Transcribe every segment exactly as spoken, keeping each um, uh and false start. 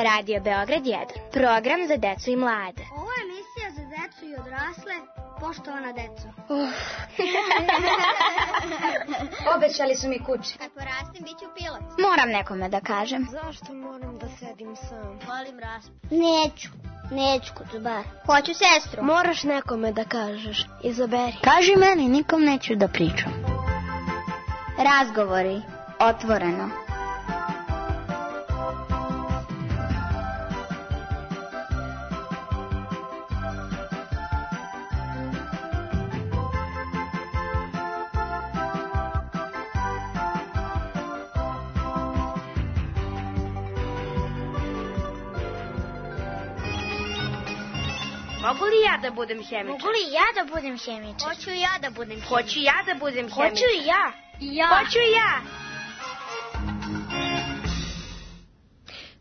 Radio Beograd jedan. Program za decu i mlade. Ovo je emisija za decu i odrasle. Poštovana deco. Uh. Obećali su mi kuće. Kad porastim, bit ću pilot. Moram nekome da kažem. Zašto moram da sedim sam? Volim raspu. Neću. Neću kod bar. Hoću sestru. Moraš nekome da kažeš. Izaberi. Kaži meni, nikom neću da pričam. Razgovori. Otvoreno. Mogu li ja da budem hemičar? Mogu li ja da budem hemičar? Hoću ja da budem hemičar. Hoću ja da budem hemičar. Hoću i ja. I ja. Hoću i ja.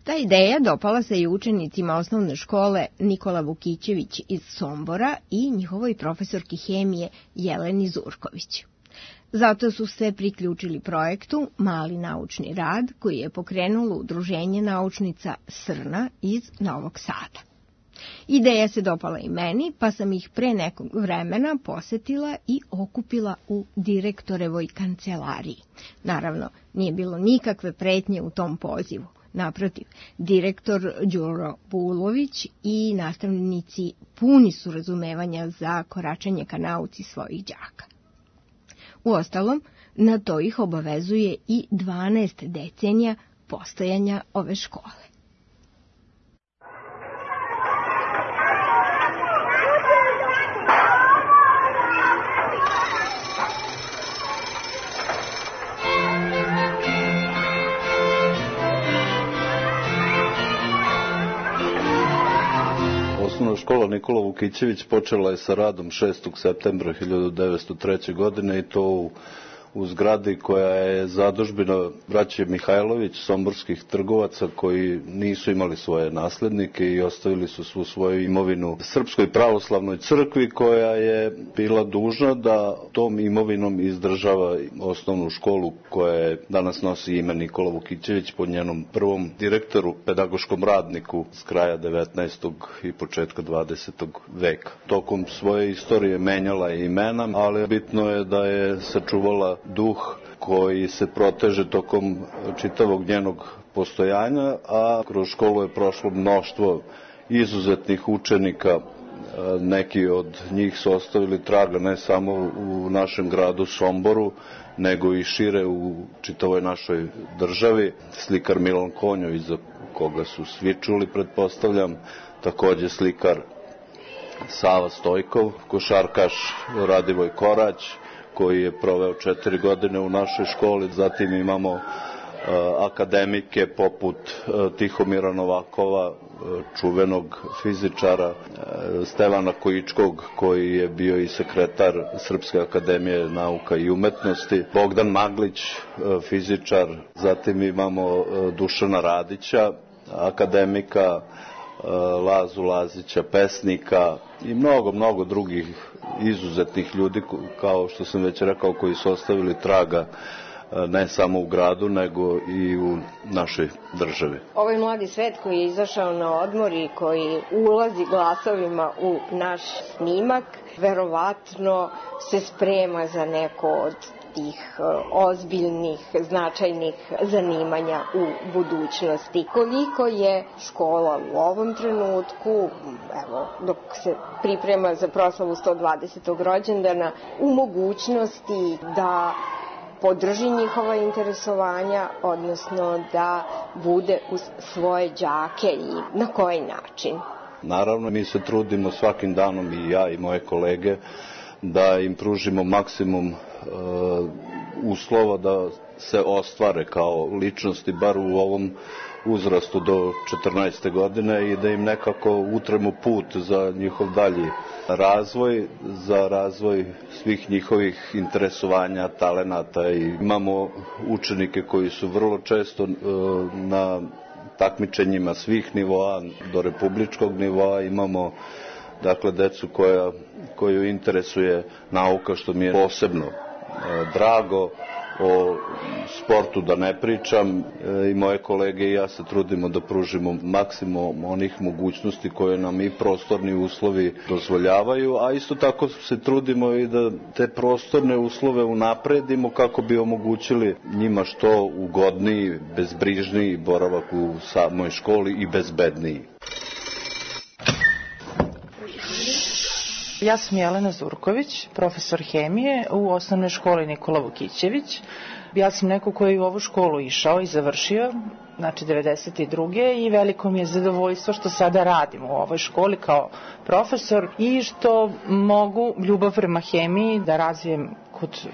Ta ideja dopala se i učenicima osnovne škole Nikola Vukićević iz Sombora i njihovoj profesorki hemije Jeleni Zurković. Zato su se priključili projektu Mali naučni rad koji je pokrenulo Udruženje naučnica Srna iz Novog Sada. Ideja se dopala i meni, pa sam ih pre nekog vremena posetila i okupila u direktorevoj kancelariji. Naravno, nije bilo nikakve pretnje u tom pozivu. Naprotiv, direktor Đuro Bulović i nastavnici puni su razumevanja za koračanje ka nauci svojih đaka. Uostalom, na to ih obavezuje i dvanaest decenija postojanja ove škole. Osnovna škola Nikola Vukićević počela je sa radom šestog septembra hiljadu devetsto treće. godine i to u, u zgradi koja je zadužbina braće Mihajlović, somborskih trgovaca koji nisu imali svoje naslednike i ostavili su svu svoju imovinu Srpskoj pravoslavnoj crkvi koja je bila dužna da tom imovinom izdržava osnovnu školu koja je danas nosi ime Nikola Vukićević po njenom prvom direktoru, pedagoškom radniku s kraja devetnaestog i početka dvadesetog veka. Tokom svoje istorije menjala je imena, ali bitno je da je sačuvala duh koji se proteže tokom čitavog njenog postojanja, a kroz školu je prošlo mnoštvo izuzetnih učenika. Neki od njih su ostavili traga ne samo u našem gradu Somboru, nego i šire u čitavoj našoj državi. Slikar Milan Konjović, za koga su svi čuli, pretpostavljam, takođe slikar Sava Stojkov, košarkaš Radivoj Korać, koji je proveo četiri godine u našoj školi. Zatim imamo uh, akademike poput uh, Tihomira Novakova, uh, čuvenog fizičara, uh, Stevana Kojičkog, koji je bio i sekretar Srpske akademije nauka i umetnosti, Bogdan Maglić, uh, fizičar. Zatim imamo uh, Dušana Radića, akademika, Lazu Lazića, pesnika i mnogo, mnogo drugih izuzetnih ljudi, kao što sam već rekao, koji su ostavili traga ne samo u gradu, nego i u našoj državi. Ovaj mladi svet koji je izašao na odmor i koji ulazi glasovima u naš snimak, verovatno se sprema za neko od tih ozbiljnih, značajnih zanimanja u budućnosti. Koliko je škola u ovom trenutku, evo, dok se priprema za proslavu sto dvadesetog rođendana, u mogućnosti da podrži njihova interesovanja, odnosno da bude uz svoje đake i na koji način? Naravno, mi se trudimo svakim danom, i ja i moje kolege, da im pružimo maksimum uh, uslova da se ostvare kao ličnosti, bar u ovom uzrastu do četrnaeste godine, i da im nekako utremo put za njihov dalji razvoj, za razvoj svih njihovih interesovanja, talenata. I imamo učenike koji su vrlo često uh, na takmičenjima svih nivoa do republičkog nivoa. Imamo dakle decu koja, koju interesuje nauka, što mi je posebno e, drago, o sportu da ne pričam. I moje kolege i ja se trudimo da pružimo maksimum onih mogućnosti koje nam i prostorni uslovi dozvoljavaju, a isto tako se trudimo i da te prostorne uslove unapredimo kako bi omogućili njima što ugodniji, bezbrižniji boravak u samoj školi i bezbedniji. Ja sam Jelena Zurković, profesor hemije u osnovnoj školi Nikola Vukićević. Ja sam neko koji je u ovu školu išao i završio, znači devedeset druge i veliko mi je zadovoljstvo što sada radim u ovoj školi kao profesor i što mogu ljubav prema hemiji da razvijem kod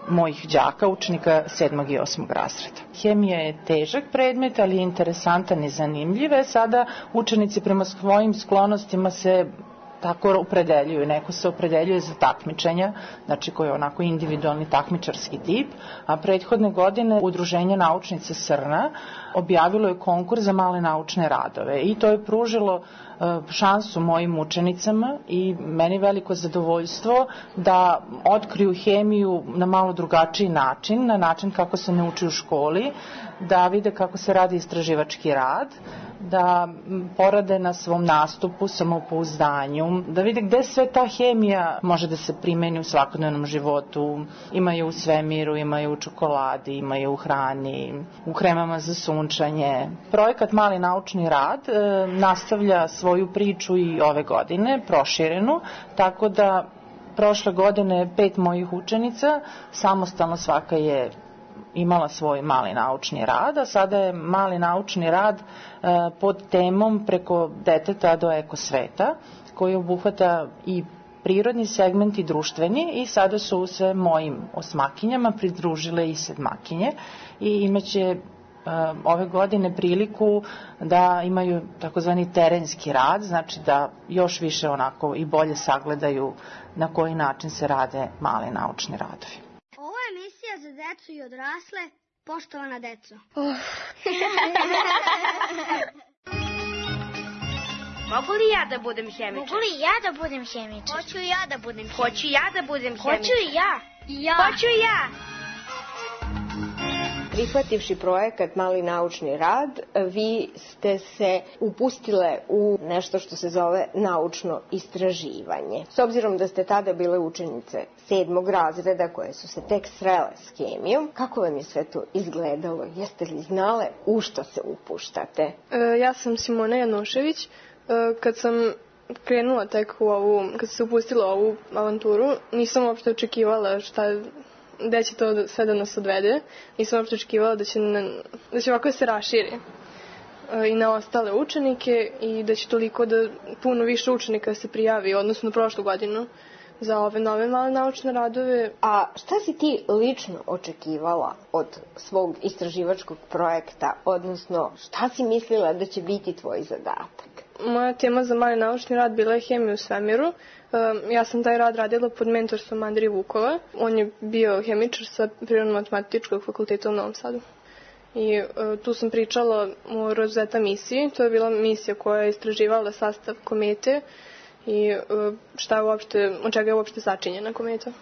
mojih đaka, učenika sedmog i osmog razreda. Hemija je težak predmet, ali je interesantan i zanimljiv. Sada učenici prema svojim sklonostima se tako opredeljuju. Neko se opredeljuje za takmičenja, znači koji je onako individualni takmičarski tip, a prethodne godine Udruženje naučnica Srna objavilo je konkurs za male naučne radove i to je pružilo šansu mojim učenicama i meni veliko zadovoljstvo da otkriju hemiju na malo drugačiji način, na način kako se ne uči u školi, da vide kako se radi istraživački rad, da porade na svom nastupu, samopouzdanju, da vide gde sve ta hemija može da se primeni u svakodnevnom životu. Ima je u svemiru, ima je u čokoladi, ima je u hrani, u kremama za sunčanje. Projekat Mali naučni rad e, nastavlja svoju priču i ove godine, proširenu, tako da prošle godine pet mojih učenica, samostalno svaka je imala svoj mali naučni rad, a sada je mali naučni rad e, pod temom preko deteta do ekosveta, koji obuhvata i prirodni segment i društveni i sada su se mojim osmakinjama pridružile i sedmakinje i imaće ove godine priliku da imaju takozvani terenski rad, znači da još više onako i bolje sagledaju na koji način se rade mali naučni radovi. Ovo je emisija za decu i odrasle, poštovana deco. Oh. Mogu li ja da budem hemičar? Mogu li ja da budem hemičar? Hoću ja da budem hemičar. Hoću ja da budem hemičar. Hoću i ja. Ja. Hoću i ja. Prihvativši projekat Mali naučni rad, vi ste se upustile u nešto što se zove naučno istraživanje. S obzirom da ste tada bile učenice sedmog razreda koje su se tek srele s hemijom, kako vam je sve to izgledalo? Jeste li znale u što se upuštate? E, ja sam Simona Janušević. E, kad sam krenula tek u ovu, kad sam se upustila u ovu avanturu, nisam uopšte očekivala šta gde će to sve da nas odvede. Nisam uopšte očekivala da će, na, da će ovako se raširi e, i na ostale učenike i da će toliko da puno više učenika se prijavi, odnosno prošlu godinu, za ove nove male naučne radove. A šta si ti lično očekivala od svog istraživačkog projekta, odnosno šta si mislila da će biti tvoj zadatak? Moja tema za mali naučni rad bila je hemija u svemiru. Ja sam taj rad radila pod mentorstvom Andrije Vukova. On je bio hemičar sa Prirodno-matematičkog fakulteta u Novom Sadu. I uh, tu sam pričala o Rosetta misiji. To je bila misija koja je istraživala sastav komete i uh, šta je uopšte, od čega je uopšte sačinjena kometa. Uh,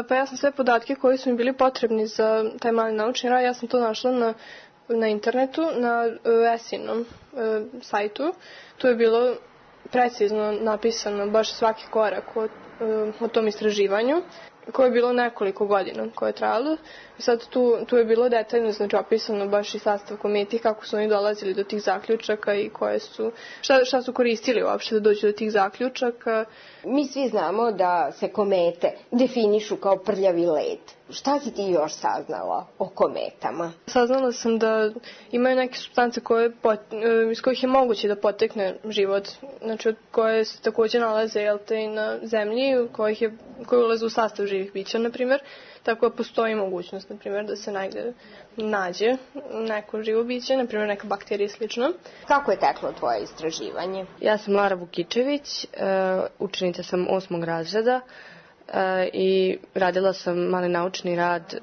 pa ja sam sve podatke koji su mi bili potrebni za taj mali naučni rad, ja sam to našla na, na internetu, na uh, Esinom uh, sajtu. Tu je bilo precizno napisano baš svaki korak o, o tom istraživanju, koje je bilo nekoliko godina koje je trajalo. Sad tu, tu je bilo detaljno, znači opisano baš i sastav kometi, kako su oni dolazili do tih zaključaka i koje su, šta, šta su koristili uopšte da dođu do tih zaključaka. Mi svi znamo da se komete definišu kao prljavi led. Šta si ti još saznala o kometama? Saznala sam da imaju neke supstance koje, iz kojih je moguće da potekne život, znači koje se takođe nalaze jel te, i na zemlji, kojih je, koje ulaze u sastav živih bića, na primjer. Tako da postoji mogućnost, na primjer, da se negde nađe neko živo biće, na primjer neka bakterija i slično. Kako je teklo tvoje istraživanje? Ja sam Lara Vukićević, učenica sam osmog razreda i radila sam mali naučni rad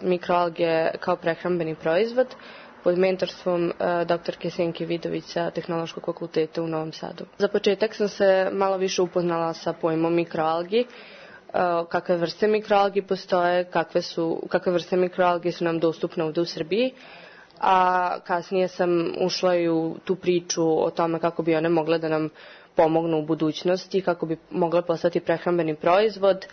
mikroalge kao prehrambeni proizvod pod mentorstvom doktorke Senke Vidović sa Tehnološkog fakulteta u Novom Sadu. Za početak sam se malo više upoznala sa pojmom mikroalgi kakve vrste mikroalgi postoje, kakve, su, kakve vrste mikroalgi su nam dostupne ovde u Srbiji, a kasnije sam ušla i u tu priču o tome kako bi one mogle da nam pomognu u budućnosti, kako bi mogle postati prehrambeni proizvod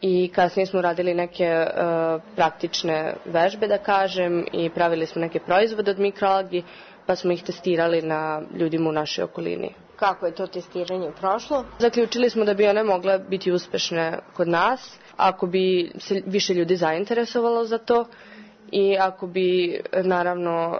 i kasnije smo radili neke uh, praktične vežbe, da kažem, i pravili smo neke proizvode od mikroalgi, pa smo ih testirali na ljudima u našoj okolini. Kako je to testiranje prošlo? Zaključili smo da bi one mogle biti uspešne kod nas, ako bi se više ljudi zainteresovalo za to i ako bi, naravno,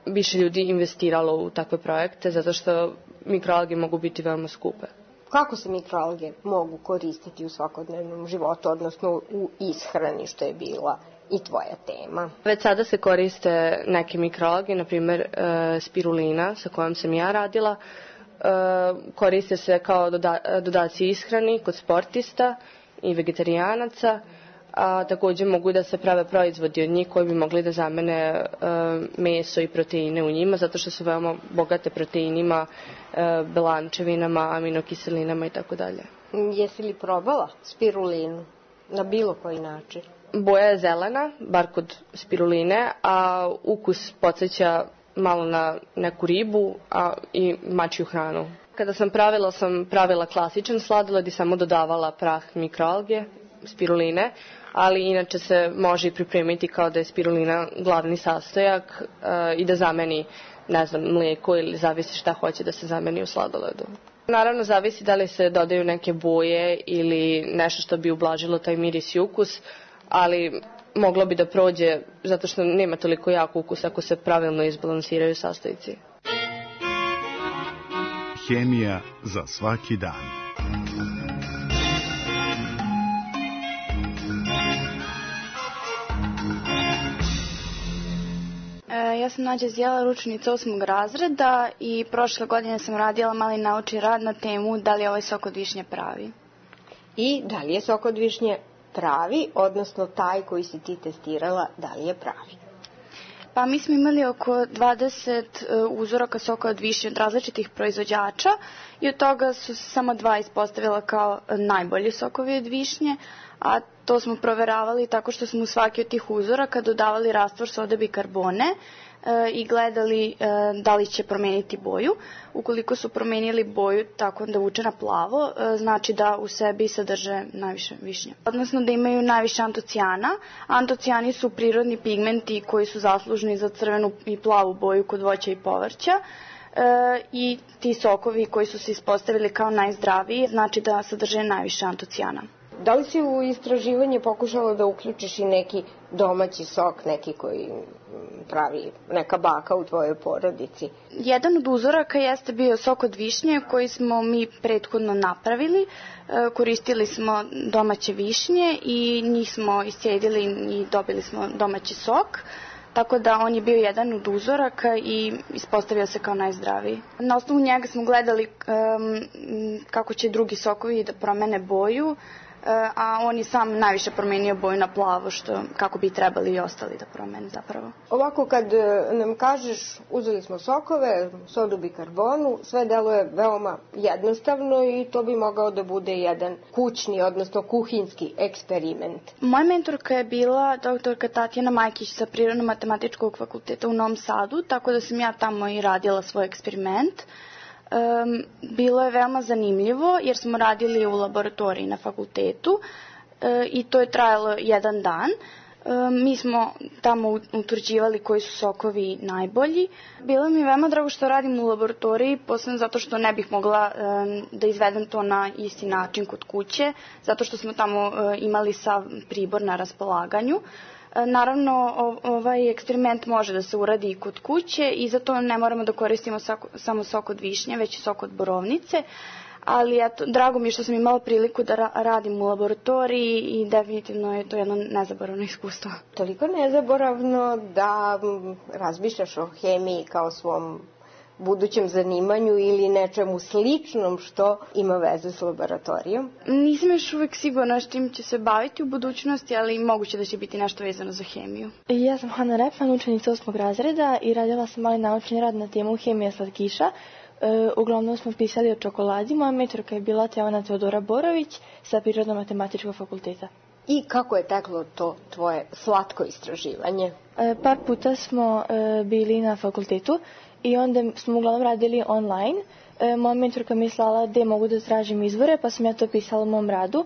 više ljudi investiralo u takve projekte, zato što mikroalge mogu biti veoma skupe. Kako se mikroalge mogu koristiti u svakodnevnom životu, odnosno u ishrani, što je bila i tvoja tema? Već sada se koriste neke mikroalge, na primjer spirulina sa kojom sam ja radila. Koriste se kao dodaci ishrani kod sportista i vegetarijanaca, a takođe mogu da se prave proizvodi od njih koji bi mogli da zamene meso i proteine u njima, zato što su veoma bogate proteinima, belančevinama, aminokiselinama i tako dalje. Jesi li probala spirulinu na bilo koji način? Boja je zelena, bar kod spiruline, a ukus podsjeća malo na neku ribu a i mačju hranu. Kada sam pravila, sam pravila klasičan sladoled i samo dodavala prah mikroalge, spiruline, ali inače se može i pripremiti kao da je spirulina glavni sastojak uh, i da zameni, ne znam, mlijeko ili zavisi šta hoće da se zameni u sladoledu. Naravno, zavisi da li se dodaju neke boje ili nešto što bi ublažilo taj miris i ukus, ali moglo bi da prođe zato što nema toliko jak ukus ako se pravilno izbalansiraju sastojci. Hemija za svaki dan. Ja sam Nađa Zjela, ručenica osmog razreda i prošle godine sam radila mali naučni rad na temu da li je ovaj sok od višnje pravi. I da li je sok od višnje pravi, odnosno taj koji si ti testirala, da li je pravi? Pa mi smo imali oko dvadeset uzoraka soka od višnje od različitih proizvođača i od toga su se samo dva ispostavila kao najbolji sokovi od višnje, a to smo proveravali tako što smo u svaki od tih uzoraka dodavali rastvor sode bikarbone e, i gledali e, da li će promeniti boju. Ukoliko su promenili boju tako da vuče na plavo, e, znači da u sebi sadrže najviše višnje. Odnosno da imaju najviše antocijana. Antocijani su prirodni pigmenti koji su zaslužni za crvenu i plavu boju kod voća i povrća. E, i ti sokovi koji su se ispostavili kao najzdraviji znači da sadrže najviše antocijana. Da li si u istraživanje pokušala da uključiš i neki domaći sok, neki koji pravi neka baka u tvojoj porodici? Jedan od uzoraka jeste bio sok od višnje koji smo mi prethodno napravili. Koristili smo domaće višnje i njih smo iscijedili i dobili smo domaći sok. Tako da on je bio jedan od uzoraka i ispostavio se kao najzdraviji. Na osnovu njega smo gledali um, kako će drugi sokovi da promene boju, a on je sam najviše promenio boju na plavo, što kako bi trebali i ostali da promene zapravo. Ovako kad nam kažeš uzeli smo sokove, sodu bikarbonu, sve deluje veoma jednostavno i to bi mogao da bude jedan kućni, odnosno kuhinski eksperiment. Moja mentorka je bila doktorka Tatjana Majkić sa Prirodno-matematičkog fakulteta u Novom Sadu, tako da sam ja tamo i radila svoj eksperiment. Um, bilo je veoma zanimljivo jer smo radili u laboratoriji na fakultetu uh, i to je trajalo jedan dan. Um, mi smo tamo utvrđivali koji su sokovi najbolji. Bilo mi je veoma drago što radim u laboratoriji, posebno zato što ne bih mogla um, da izvedem to na isti način kod kuće, zato što smo tamo uh, imali sav pribor na raspolaganju. Naravno, ovaj eksperiment može da se uradi i kod kuće i zato ne moramo da koristimo samo sok od višnje, već i sok od borovnice, ali eto, drago mi je što sam imala priliku da ra- radim u laboratoriji i definitivno je to jedno nezaboravno iskustvo. Toliko nezaboravno da razmišljaš o hemiji kao svom budućem zanimanju ili nečemu sličnom što ima veze s laboratorijom? Nisam još uvek sigurna što im će se baviti u budućnosti, ali moguće da će biti nešto vezano za hemiju. Ja sam Hana Repman, učenica osmog razreda i radila sam mali naučni rad na temu hemija slatkiša E, uglavnom smo pisali o čokoladi. Moja mentorka je bila Teona Teodora Borović sa Prirodno-matematičkog fakulteta. I kako je teklo to tvoje slatko istraživanje? E, par puta smo e, bili na fakultetu i onda smo uglavnom radili online. E, moja mentorka mi je slala gde mogu da tražim izvore, pa sam ja to pisala u mom radu.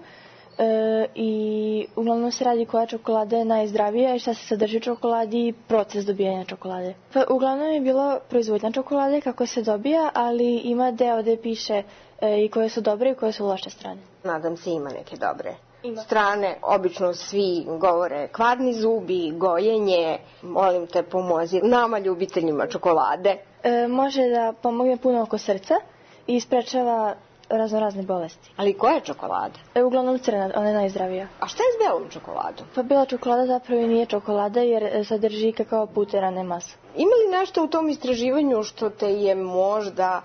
E, I uglavnom se radi koja čokolada je najzdravija i šta se sadrži u čokoladi i proces dobijanja čokolade. Pa, uglavnom je bilo proizvodnja čokolade, kako se dobija, ali ima deo gde piše e, i koje su dobre i koje su loše strane. Nadam se ima neke dobre Ima. strane. Obično svi govore kvarni zubi, gojenje. Molim te, pomozi nama ljubiteljima čokolade. E, može da pomogne puno oko srca i sprečava razno razne bolesti. Ali koja je čokolada? E, uglavnom crna, ona je najzdravija. A šta je s belom čokoladom? Pa bela čokolada zapravo i nije čokolada jer sadrži kakao puter, a ne masu. Ima li nešto u tom istraživanju što te je možda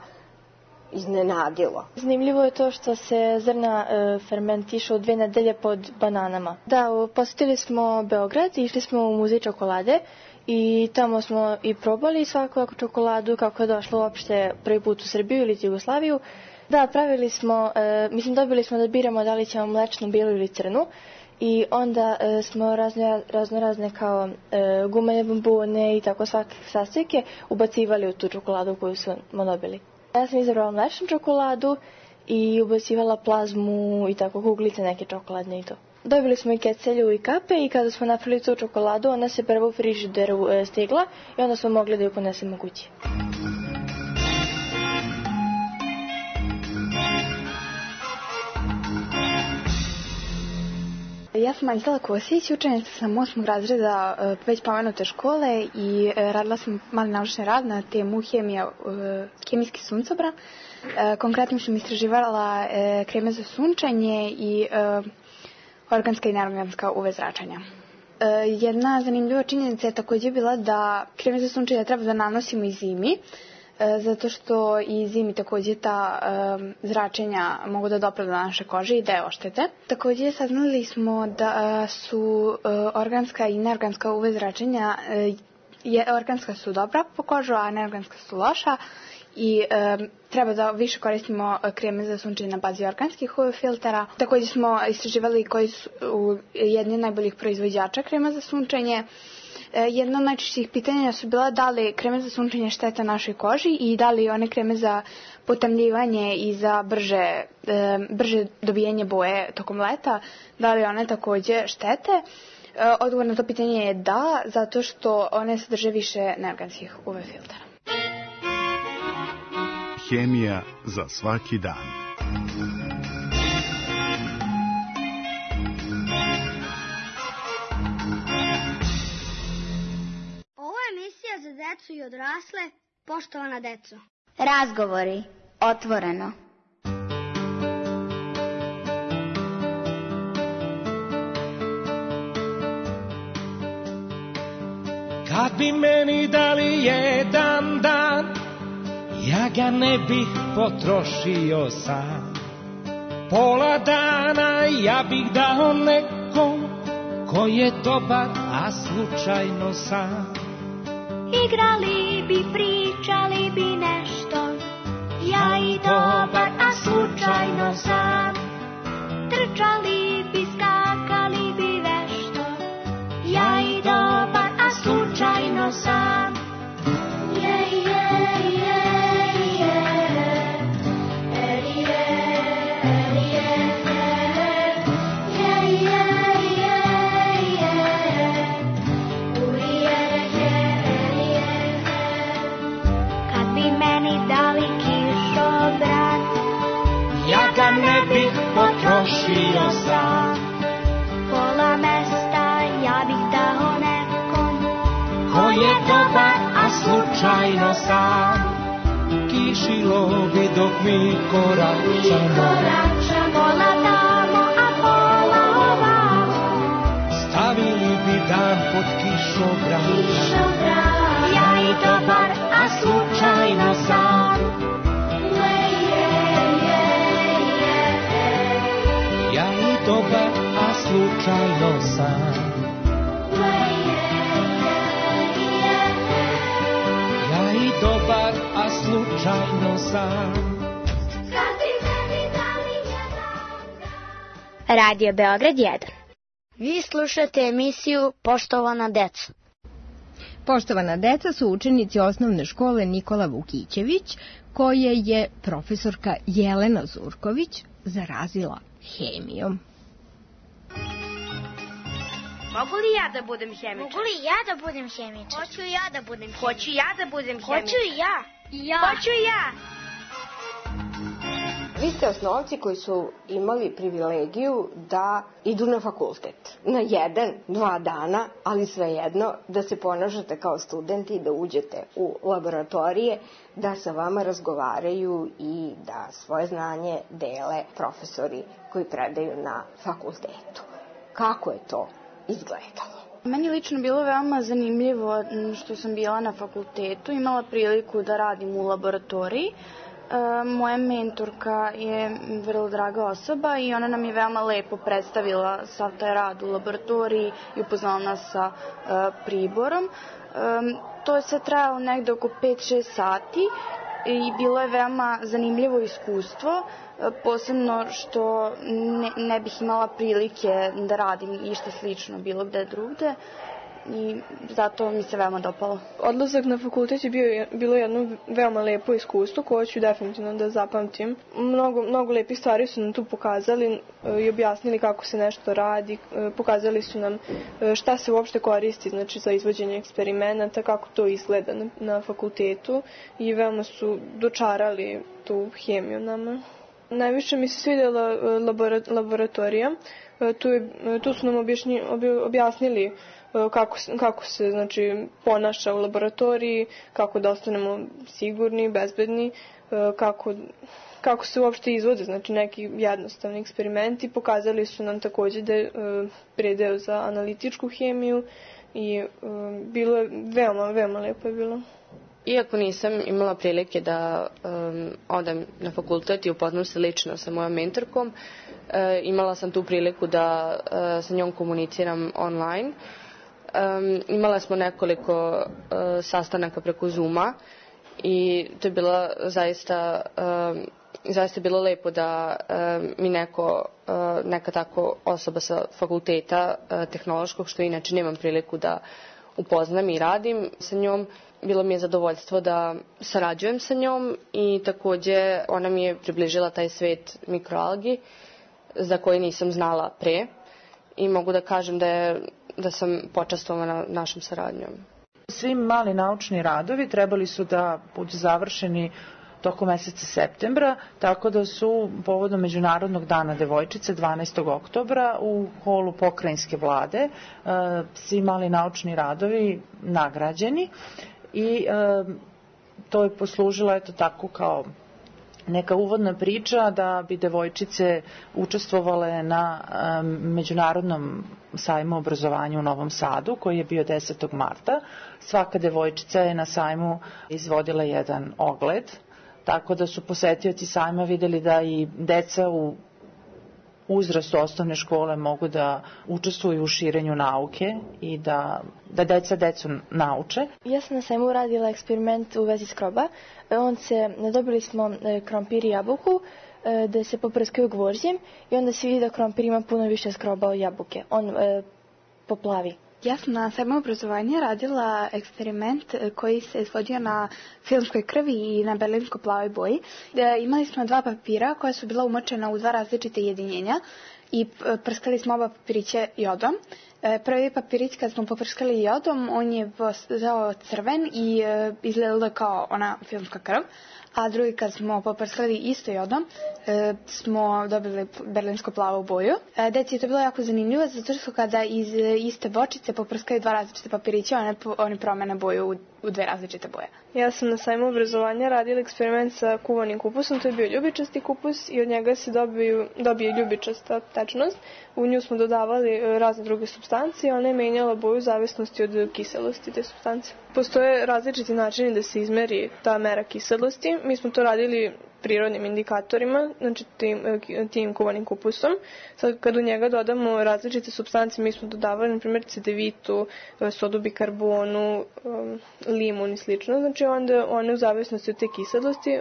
iznenadilo? Zanimljivo je to što se zrna e, fermentišu dve nedelje pod bananama. Da, posjetili smo Beograd i išli smo u muzej čokolade i tamo smo i probali svaku čokoladu kako je došla uopšte prvi put u Srbiju ili Jugoslaviju. Da, pravili smo, e, mislim dobili smo da biramo da li ćemo mlečnu, bijelu ili crnu i onda e, smo razne, razno razne kao e, gumene bombone i tako svake sastojke ubacivali u tu čokoladu koju smo dobili. Ja sam izabrala mlečnu čokoladu i ubacivala plazmu i tako kuglice neke čokoladne i to. Dobili smo i kecelju i kape i kada smo napravili tu čokoladu, ona se prvo u frižideru e, stigla i onda smo mogli da ju ponesemo kući. Ja sam Anđela Kosić, učenica sam osmog razreda već pomenute škole i radila sam mali naučni rad na temu hemija, hemijski suncobran. Konkretno sam istraživala kreme za sunčanje i organska i neorganska U V zračenja. Jedna zanimljiva činjenica je također bila da kreme za sunčanje treba da nanosimo i zimi, zato što i zimi također ta um, zračenja mogu da dopre do naše kože i da je oštete. Također saznali smo da su uh, organska i neorganska U V zračenja, uh, je, organska su dobra po kožu, a neorganska su loša i um, treba da više koristimo kreme za sunčanje na bazi organskih U V filtera. Također smo istraživali koji su jedni od najboljih proizvođača krema za sunčanje. Jedno od najčešćih pitanja su bila da li kreme za sunčanje štete našoj koži i da li one kreme za potamljivanje i za brže, brže dobijanje boje tokom leta, da li one također štete. Odgovor na to pitanje je da, zato što one sadrže više neorganskih U V filtera. Hemija za svaki dan. Za decu i odrasle, poštovana deco. Razgovori, otvoreno. Kad bi meni dali jedan dan, ja ga ne bih potrošio sam. Pola dana ja bih dao nekom ko je dobar, a slučajno sam. Igrali bi, pričali bi nešto, ja i dobar, a slučajno sam. Trčali bi, skakali bi vešto, ja i dobar, a slučajno sam. Je, je, je, je, je, ne bih potrošio sam. Pola mesta ja bih dao nekom ko je dobar, a slučajno sam. Kišilo bi dok mi koračamo, koračamo, pola tamo, a pola ovamo. Stavili bi dan pod kišobran, kišobran. Ja i dobar, a slučajno sam. Dobar, a slučajno sam. Ja i dobar, a slučajno slučajno sam. Radio Beograd jedan. Vi slušate emisiju Poštovana deca. Poštovana deca su učenici osnovne škole Nikola Vukićević, koje je profesorka Jelena Zurković zarazila hemijom. Mogu li ja da budem hemičar? Mogu li ja da budem hemičar? Hoću ja da budem hemičar. Hoću ja da budem hemičar. Hoću i ja. Ja. Hoću i ja. Vi ste osnovci koji su imali privilegiju da idu na fakultet. Na jedan, dva dana, ali svejedno da se ponašate kao studenti i da uđete u laboratorije, da sa vama razgovaraju i da svoje znanje dele profesori koji predaju na fakultetu. Kako je to izgledalo? Meni lično bilo veoma zanimljivo što sam bila na fakultetu, imala priliku da radim u laboratoriji. Moja mentorka je vrlo draga osoba i ona nam je veoma lepo predstavila sav taj rad u laboratoriji i upoznala nas sa priborom. To je sve trajalo negde oko pet šest sati i bilo je veoma zanimljivo iskustvo, posebno što ne, ne bih imala prilike da radim išta slično bilo gde drugde i zato mi se veoma dopalo. Odlazak na fakultet je bio, bilo jedno veoma lepo iskustvo koje ću definitivno da zapamtim. Mnogo, mnogo lepih stvari su nam tu pokazali i objasnili kako se nešto radi, pokazali su nam šta se uopšte koristi, znači za izvođenje eksperimenata, kako to izgleda na, na fakultetu i veoma su dočarali tu hemiju nama. Najviše mi se svidjela laboratorija, tu, je, tu su nam objašnji, objasnili kako, kako se znači, ponaša u laboratoriji, kako da ostanemo sigurni, bezbedni, kako, kako se uopšte izvode, znači neki jednostavni eksperimenti. Pokazali su nam takođe da je predeo za analitičku hemiju i bilo je veoma, veoma lepo je bilo. Iako nisam imala prilike da um, odem na fakultet i upoznam se lično sa mojom mentorkom, uh, imala sam tu priliku da uh, sa njom komuniciram online. Um, imala smo nekoliko uh, sastanaka preko Zooma i to je bilo zaista, um, zaista bilo lepo da um, mi neko, uh, neka tako osoba sa fakulteta uh, tehnološkog, što inače nemam priliku da upoznam i radim sa njom. Bilo mi je zadovoljstvo da sarađujem sa njom i takođe ona mi je približila taj svet mikroalgi za koji nisam znala pre i mogu da kažem da, je, da sam počastvovana našom saradnjom. Svi mali naučni radovi trebali su da budu završeni tokom meseca septembra, tako da su povodom Međunarodnog dana devojčice dvanaestog oktobra u holu pokrajinske vlade svi mali naučni radovi nagrađeni i to je poslužilo eto tako kao neka uvodna priča da bi devojčice učestvovale na Međunarodnom sajmu obrazovanja u Novom Sadu koji je bio desetog marta. Svaka devojčica je na sajmu izvodila jedan ogled, tako da su posetioci sajma videli da i deca u uzrastu osnovne škole mogu da učestvuju u širenju nauke i da, da deca decu nauče. Ja sam na sajmu radila eksperiment u vezi skroba. On se, dobili smo krompir i jabuku da se poprskaju gvožđem i onda se vidi da krompir ima puno više skroba od jabuke. On e, poplavi. Ja sam na sajmu obrazovanja radila eksperiment koji se izvodio na filmskoj krvi i na berlinsko-plavoj boji. E, imali smo dva papira koja su bila umočena u dva različite jedinjenja i prskali smo oba papirića jodom. E, prvi papirić kad smo poprskali jodom, on je postao crven i e, izgledalo kao ona filmska krv. A drugi kad smo poprskali isto jodom, e, smo dobili berlinsko-plavu boju. E, deci je to bilo jako zanimljivo, zato što kada iz iste bočice poprskaju dva različite papirića, one, oni promene boju u, u dve različite boje. Ja sam na sajmu obrazovanja radila eksperiment sa kuvanim kupusom, to je bio ljubičasti kupus i od njega se dobiju, dobije ljubičasta tečnost. U nju smo dodavali razne druge supstancije, ona je menjala boju u zavisnosti od kiselosti te supstancije. Postoje različiti načini da se izmeri ta mera kiselosti. Mi smo to radili prirodnim indikatorima, znači tim, tim kuvanim kupusom. Sad kad u njega dodamo različite supstance, mi smo dodavali na primjer cedevitu, sodu bikarbonu, limun i slično, znači onda one u zavisnosti od te kiselosti,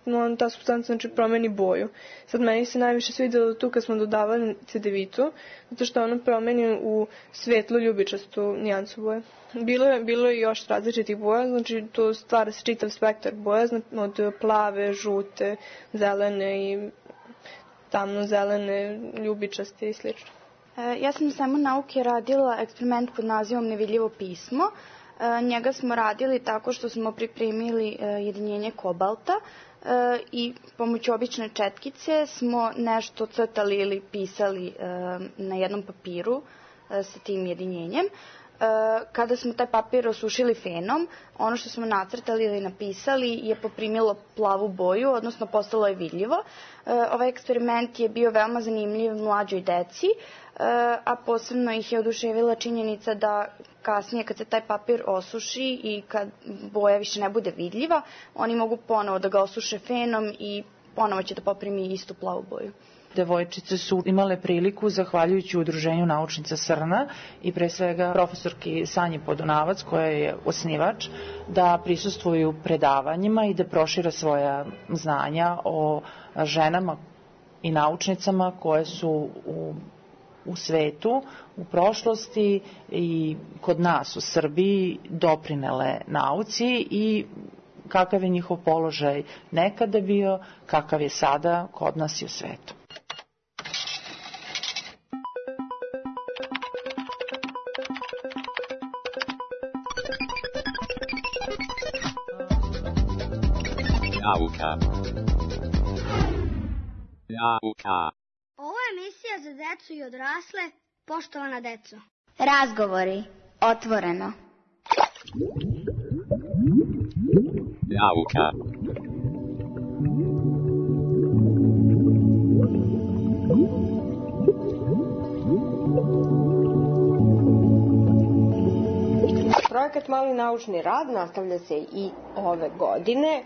on, ta supstanca znači promeni boju. Sad meni se najviše svidjelo tu kad smo dodavali cedevitu, zato što ono promeni u svetlo ljubičastu nijansu boje. Bilo je, bilo je još različitih boja, znači to stvara se čitav spektar boja, znači od plave, žute, zelene i tamno-zelene, ljubičaste i sl. Ja sam samo nauke radila eksperiment pod nazivom Nevidljivo pismo. Njega smo radili tako što smo pripremili jedinjenje kobalta i pomoću obične četkice smo nešto crtali ili pisali na jednom papiru sa tim jedinjenjem. Kada smo taj papir osušili fenom, ono što smo nacrtali ili napisali je poprimilo plavu boju, odnosno postalo je vidljivo. Ovaj eksperiment je bio veoma zanimljiv mlađoj deci, a posebno ih je oduševila činjenica da kasnije kad se taj papir osuši i kad boja više ne bude vidljiva, oni mogu ponovo da ga osuše fenom i ponovo će da poprimi istu plavu boju. Devojčice su imale priliku, zahvaljujući udruženju naučnica Srna i pre svega profesorki Sanji Podunavac, koja je osnivač, da prisustvuju predavanjima i da prošire svoja znanja o ženama i naučnicama koje su u, u svetu, u prošlosti i kod nas u Srbiji doprinele nauci i kakav je njihov položaj nekada bio, kakav je sada kod nas i u svetu. Nauka. Nauka. Ovo je emisija za decu i odrasle, poštovana deco. Razgovori, otvoreno. Nauka. Projekat Mali naučni rad nastavlja se i ove godine.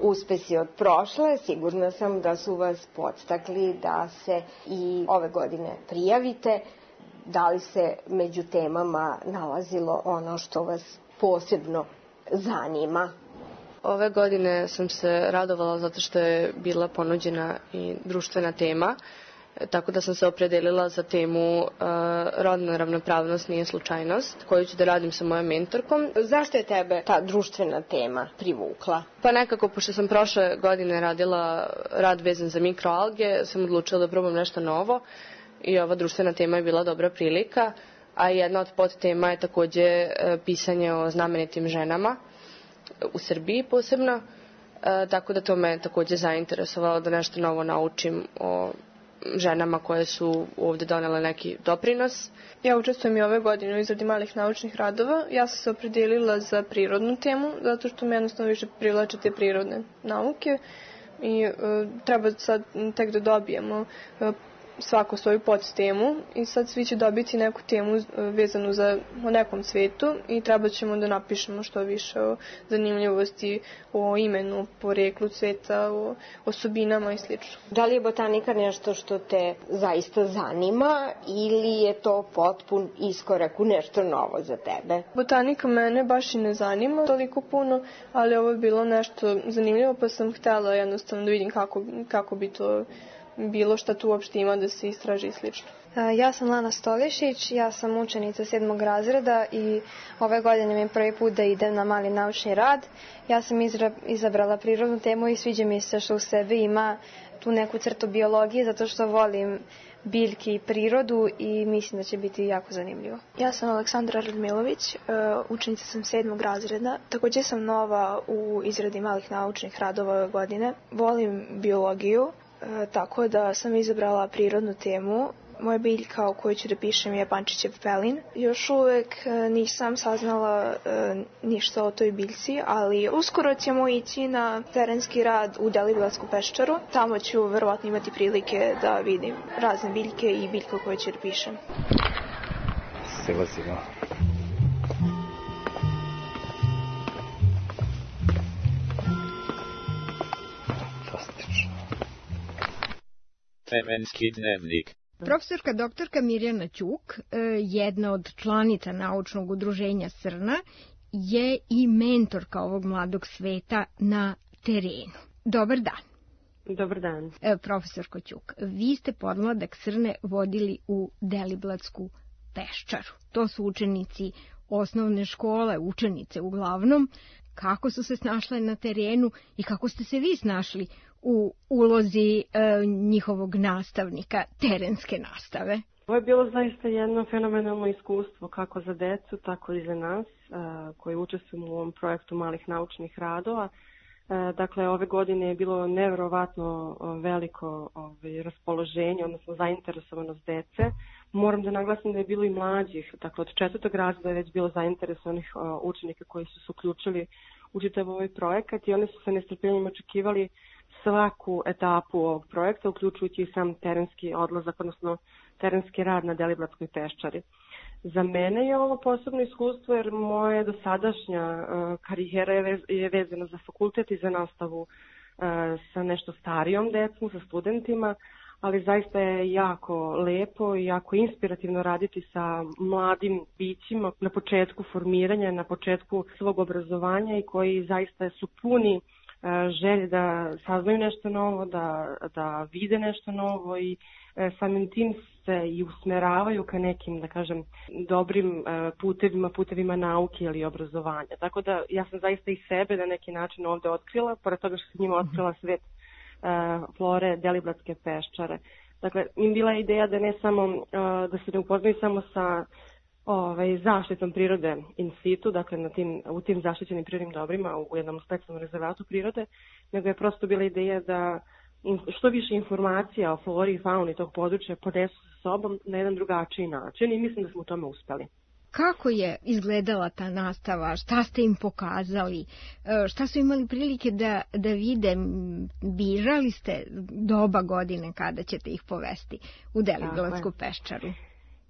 Uspesi od prošle, sigurna sam da su vas podstakli da se i ove godine prijavite. Da li se među temama nalazilo ono što vas posebno zanima? Ove godine sam se radovala zato što je bila ponuđena i društvena tema, tako da sam se opredelila za temu uh, rodna ravnopravnost nije slučajnost, koju ću da radim sa mojom mentorkom. Zašto je tebe ta društvena tema privukla? Pa nekako, pošto sam prošle godine radila rad vezan za mikroalge, sam odlučila da probam nešto novo i ova društvena tema je bila dobra prilika, a jedna od podtema je takođe uh, pisanje o znamenitim ženama u Srbiji posebno, uh, tako da to me takođe zainteresovalo da nešto novo naučim o ženama koje su ovde donele neki doprinos. Ja učestvujem i ove godine u izradi malih naučnih radova. Ja sam se opredelila za prirodnu temu, zato što me jednostavno više privlače te prirodne nauke i e, treba sad tek da dobijemo e, svako svoju podtemu i sad svi će dobiti neku temu vezanu za o nekom svetu i treba ćemo da napišemo što više o zanimljivosti, o imenu, poreklu sveta, o osobinama i sl. Da li je botanika nešto što te zaista zanima ili je to potpun iskorak u nešto novo za tebe? Botanika mene baš i ne zanima toliko puno, ali ovo je bilo nešto zanimljivo pa sam htjela jednostavno da vidim kako, kako bi to bilo šta tu uopšte ima da se istraži i slično. Ja sam Lana Stolišić, ja sam učenica sedmog razreda i ove godine mi je prvi put da idem na mali naučni rad. Ja sam izra, izabrala prirodnu temu i sviđa mi se što u sebi ima tu neku crtu biologije zato što volim biljke i prirodu i mislim da će biti jako zanimljivo. Ja sam Aleksandra Radmilović, učenica sam sedmog razreda. Također sam nova u izradi malih naučnih radova ove godine. Volim biologiju, tako da sam izabrala prirodnu temu. Moja biljka o kojoj ću da pišem je pančićev pelin. Još uvek nisam saznala ništa o toj biljci, ali uskoro ćemo ići na terenski rad u Deliblatsku peščaru. Tamo ću verovatno imati prilike da vidim razne biljke i biljke o kojoj ću da pišem. Sila, sila. Dosta. Terenski dnevnik. Profesorka doktorka Mirjana Ćuk, jedna od članica naučnog udruženja Srna, je i mentorka ovog mladog sveta na terenu. Dobar dan. Dobar dan. Profesorko Ćuk, vi ste podmladak Srne vodili u Deliblatsku peščaru. To su učenici osnovne škole, učenice uglavnom. Kako su se snašle na terenu i kako ste se vi snašli u ulozi e, njihovog nastavnika terenske nastave? Ovo je bilo zaista jedno fenomenalno iskustvo kako za decu, tako i za nas e, koji učestvujemo u ovom projektu malih naučnih radova. E, dakle, ove godine je bilo neverovatno veliko ove, raspoloženje, odnosno zainteresovanost dece. Moram da naglasim da je bilo i mlađih, dakle od četvrtog razreda je već bilo zainteresovanih o, učenika koji su se uključili u čitav ovaj projekat i oni su se nestrpljenjem očekivali svaku etapu ovog projekta, uključujući i sam terenski odlazak, odnosno terenski rad na Deliblatskoj peščari. Za mene je ovo posebno iskustvo jer moja dosadašnja uh, karijera je, vez, je vezana za fakultet i za nastavu uh, sa nešto starijom decom, sa studentima, ali zaista je jako lepo i jako inspirativno raditi sa mladim bićima na početku formiranja, na početku svog obrazovanja i koji zaista su puni želje da saznaju nešto novo, da, da vide nešto novo i samim tim se i usmeravaju ka nekim, da kažem, dobrim putevima, putevima nauke ili obrazovanja. Tako da ja sam zaista i sebe na neki način ovde otkrila, pored toga što sam njima otkrila svet flore Deliblatske peščare. Dakle, im bila je ideja da ne samo, da se ne upoznaju samo sa ovaj, zaštitom prirode in situ, dakle na tim, u tim zaštićenim prirodnim dobrima u jednom specijalnom rezervatu prirode, nego je prosto bila ideja da što više informacija o flori i fauni tog područja ponesu sa sobom na jedan drugačiji način i mislim da smo u tome uspeli. Kako je izgledala ta nastava? Šta ste im pokazali? Šta su imali prilike da, da vide? Birali ste doba godine kada ćete ih povesti u Deliblatsku peščaru?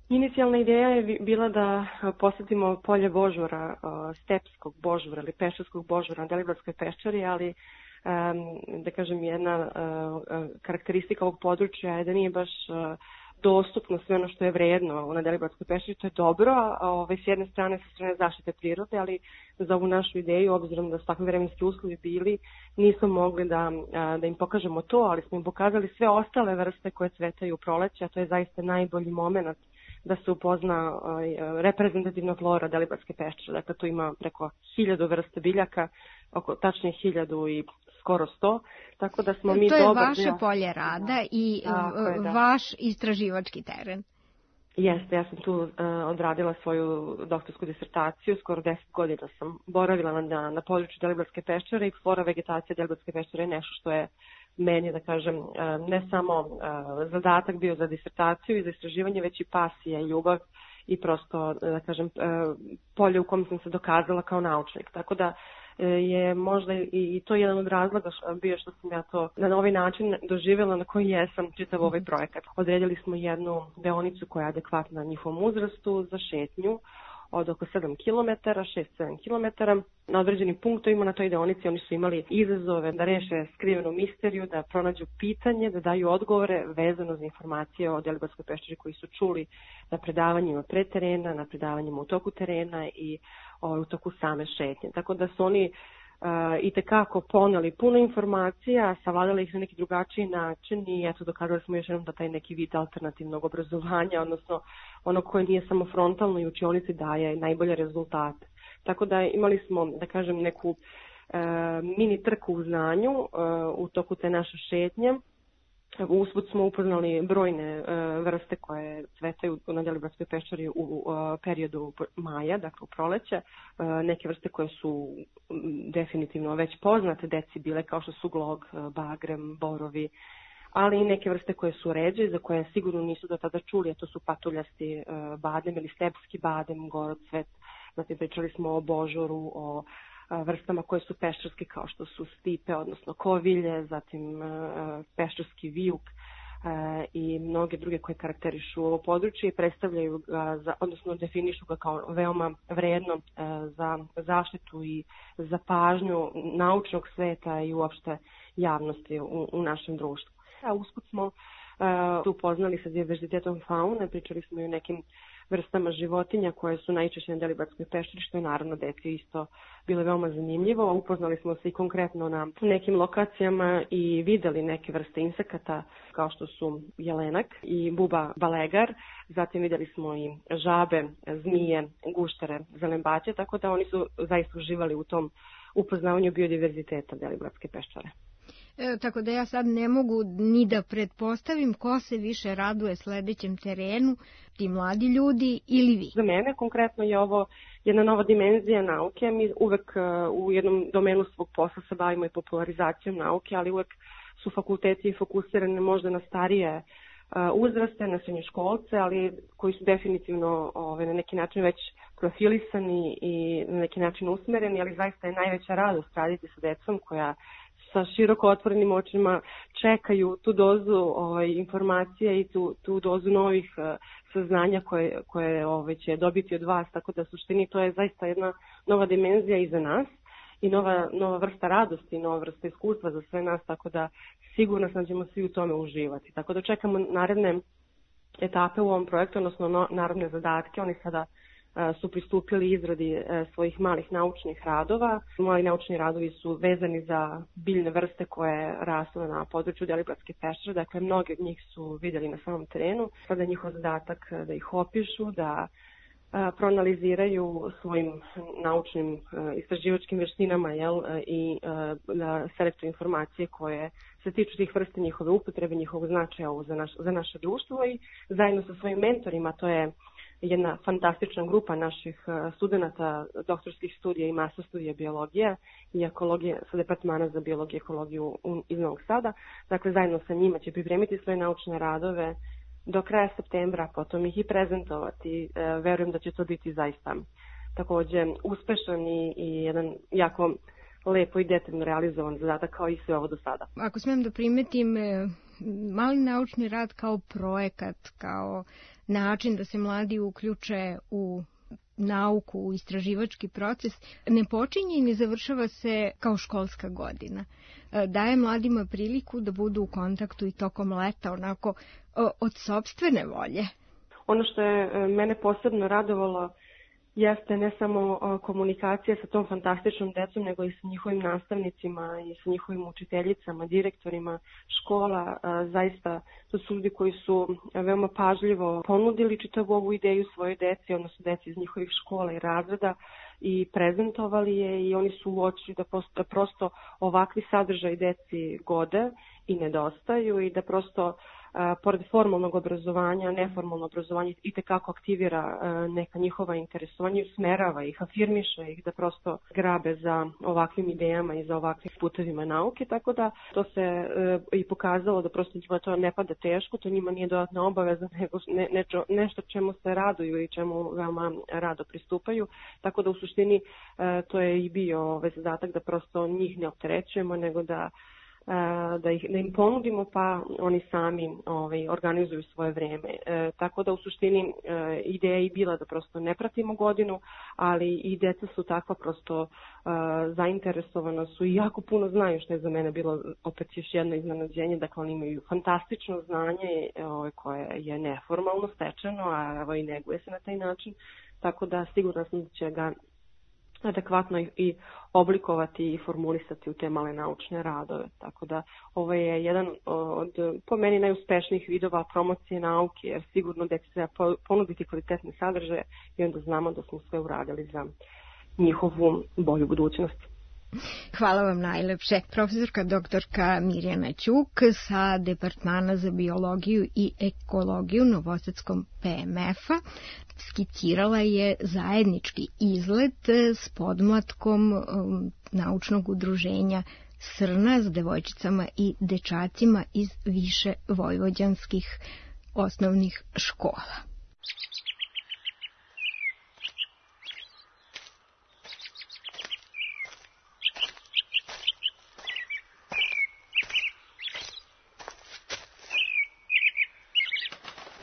Inicijalna ideja je bila da posetimo polje božvora, stepskog božvora ili peščarskog božvora na Deliblatskoj peščari, ali da kažem jedna karakteristika ovog područja je da nije baš dostupno sve ono što je vredno na Deliblatskoj peščari, to je dobro, a ovaj, s jedne strane sa strane zaštite prirode, ali za ovu našu ideju, obzirom da su takvi vremenski uslovi bili, nismo mogli da, da im pokažemo to, ali smo im pokazali sve ostale vrste koje cvetaju u proleće, a to je zaista najbolji moment da se upozna uh, reprezentativna flora Deliblatske peščare. Dakle, tu ima preko hiljadu vrste biljaka, oko tačnije hiljadu i skoro sto, tako da smo mi to je dobar, vaše ja. polje rada i je, da. vaš istraživački teren. Jeste, ja sam tu uh, odradila svoju doktorsku disertaciju, skoro deset godina sam boravila na, na području Deliblatske peščare i flora vegetacija Deliblatske peščare je nešto što je meni, da kažem, ne samo zadatak bio za disertaciju i za istraživanje, već i pasija i ljubav i prosto, da kažem, polje u kom sam se dokazala kao naučnik. Tako da je možda i to jedan od razloga bio što sam ja to na ovaj način doživjela na koji jesam čitav ovaj projekat. Odredili smo jednu deonicu koja je adekvatna njihovom uzrastu za šetnju od oko sedam kilometara, šest do sedam kilometara. Na određenim punktovima na toj deonici oni su imali izazove da reše skrivenu misteriju, da pronađu pitanje, da daju odgovore vezano za informacije o Deliblatskoj peščari koji su čuli na predavanjima pre terena, na predavanjima u toku terena i o, u toku same šetnje. Tako da su oni Uh, i tekako poneli puno informacija, savladali ih na neki drugačiji način i eto dokazali smo još jednom da taj neki vid alternativnog obrazovanja, odnosno ono koje nije samo frontalno i učionici daje najbolje rezultate. Tako da imali smo, da kažem, neku uh, mini trku u znanju uh, u toku te naše šetnje. Usput smo upoznali brojne uh, vrste koje cvetaju na Deliblatskoj peščari u uh, periodu maja, dakle u proleće. Uh, neke vrste koje su um, definitivno već poznate deci bile kao što su glog, uh, bagrem, borovi, ali i neke vrste koje su ređe, za koje sigurno nisu do tada čuli, a to su patuljasti uh, badem ili stepski badem, gorocvet. Zatim pričali smo o božoru, o vrstama koje su peščarske kao što su stipe, odnosno kovilje, zatim peščarski vijuk i mnoge druge koje karakterišu ovo područje i predstavljaju ga, za, odnosno definišu ga kao veoma vredno za zaštitu i za pažnju naučnog sveta i uopšte javnosti u, u našem društvu. A usput smo tu upoznali sa diverzitetom faune, pričali smo i o nekim vrstama životinja koje su najčešće na Deliblatskoj peščari, što je naravno deci isto bilo veoma zanimljivo. Upoznali smo se i konkretno na nekim lokacijama i videli neke vrste insekata kao što su jelenak i buba balegar. Zatim videli smo i žabe, zmije, guštere, zelembaće, tako da oni su zaista uživali u tom upoznavanju biodiverziteta Deliblatske peščare. E, tako da ja sad ne mogu ni da pretpostavim ko se više raduje sledećem terenu, ti mladi ljudi ili vi. Za mene konkretno je ovo jedna nova dimenzija nauke. Mi uvek u jednom domenu svog posla se bavimo i popularizacijom nauke, ali uvek su fakulteti fokusirane možda na starije uzraste, na srednjoškolce, ali koji su definitivno ove, na neki način već profilisani i na neki način usmereni, ali zaista je najveća radost raditi sa decom koja sa široko otvorenim očima čekaju tu dozu ovaj, informacija i tu, tu dozu novih uh, saznanja koje, koje ovaj, će dobiti od vas, tako da suštini to je zaista jedna nova dimenzija i za nas i nova, nova vrsta radosti, nova vrsta iskustva za sve nas, tako da sigurno sam da ćemo svi u tome uživati. Tako da čekamo naredne etape u ovom projektu, odnosno no, naredne zadatke. Oni sada su pristupili izradi svojih malih naučnih radova. Mali naučni radovi su vezani za biljne vrste koje rastu na području Deliblatske peščare, dakle mnogi od njih su vidjeli na samom terenu. Sada je njihov zadatak da ih opišu, da proanaliziraju svojim naučnim istraživačkim veštinama jel, i da selektuju informacije koje se tiču tih vrste, njihove upotrebe, njihovog značaja za, naš, za naše društvo i zajedno sa svojim mentorima, to je jedna fantastična grupa naših studenta doktorskih studija i master studija biologije i ekologije sa Departmana za biologiju i ekologiju iz Novog Sada. Dakle, zajedno sa njima će pripremiti svoje naučne radove do kraja septembra, potom ih i prezentovati. Verujem da će to biti zaista takođe uspešan i, i jedan jako lepo i detaljno realizovan zadatak kao i sve ovo do sada. Ako smijem da primetim, mali naučni rad kao projekat, kao način da se mladi uključe u nauku, u istraživački proces, ne počinje i ne završava se kao školska godina. Daje mladima priliku da budu u kontaktu i tokom leta, onako od sopstvene volje. Ono što je mene posebno radovalo jeste ne samo komunikacija sa tom fantastičnom decom, nego i sa njihovim nastavnicima i sa njihovim učiteljicama, direktorima škola. Zaista, to su ljudi koji su veoma pažljivo ponudili čitavu ovu ideju svoje deci, odnosno deci iz njihovih škola i razreda i prezentovali je i oni su uočili da prosto, prosto ovakvi sadržaj deci gode i nedostaju i da prosto pored formalnog obrazovanja, neformalno obrazovanje i tekako aktivira neka njihova interesovanja, usmerava ih, afirmiše ih da prosto grabe za ovakvim idejama i za ovakvim putevima nauke, tako da to se i pokazalo da prosto njima to ne pada teško, to njima nije dodatna obaveza, nego ne, nečo, nešto čemu se raduju i čemu veoma rado pristupaju, tako da u suštini to je i bio ovaj zadatak da prosto njih ne opterećujemo, nego da Da, ih, da im ponudimo pa oni sami ovaj, organizuju svoje vreme. E, tako da u suštini e, ideja je bila da prosto ne pratimo godinu, ali i deca su takva prosto e, zainteresovana su i jako puno znaju, što je za mene bilo opet još jedno iznenađenje. Dakle, oni imaju fantastično znanje ovaj, koje je neformalno stečeno, a ovaj, neguje se na taj način. Tako da sigurno sam da će ga adekvatno i oblikovati i formulisati u te male naučne radove. Tako da ovo je jedan od, po meni, najuspešnijih vidova promocije nauke, jer sigurno deci treba ponuditi kvalitetne sadržaje i onda znamo da smo sve uradili za njihovu bolju budućnost. Hvala vam najlepše. Profesorka doktorka Mirjana Ćuk sa Departmana za biologiju i ekologiju Novosadskom P M F-a skicirala je zajednički izlet s podmlatkom um, naučnog udruženja Srna s devojčicama i dečacima iz više vojvođanskih osnovnih škola.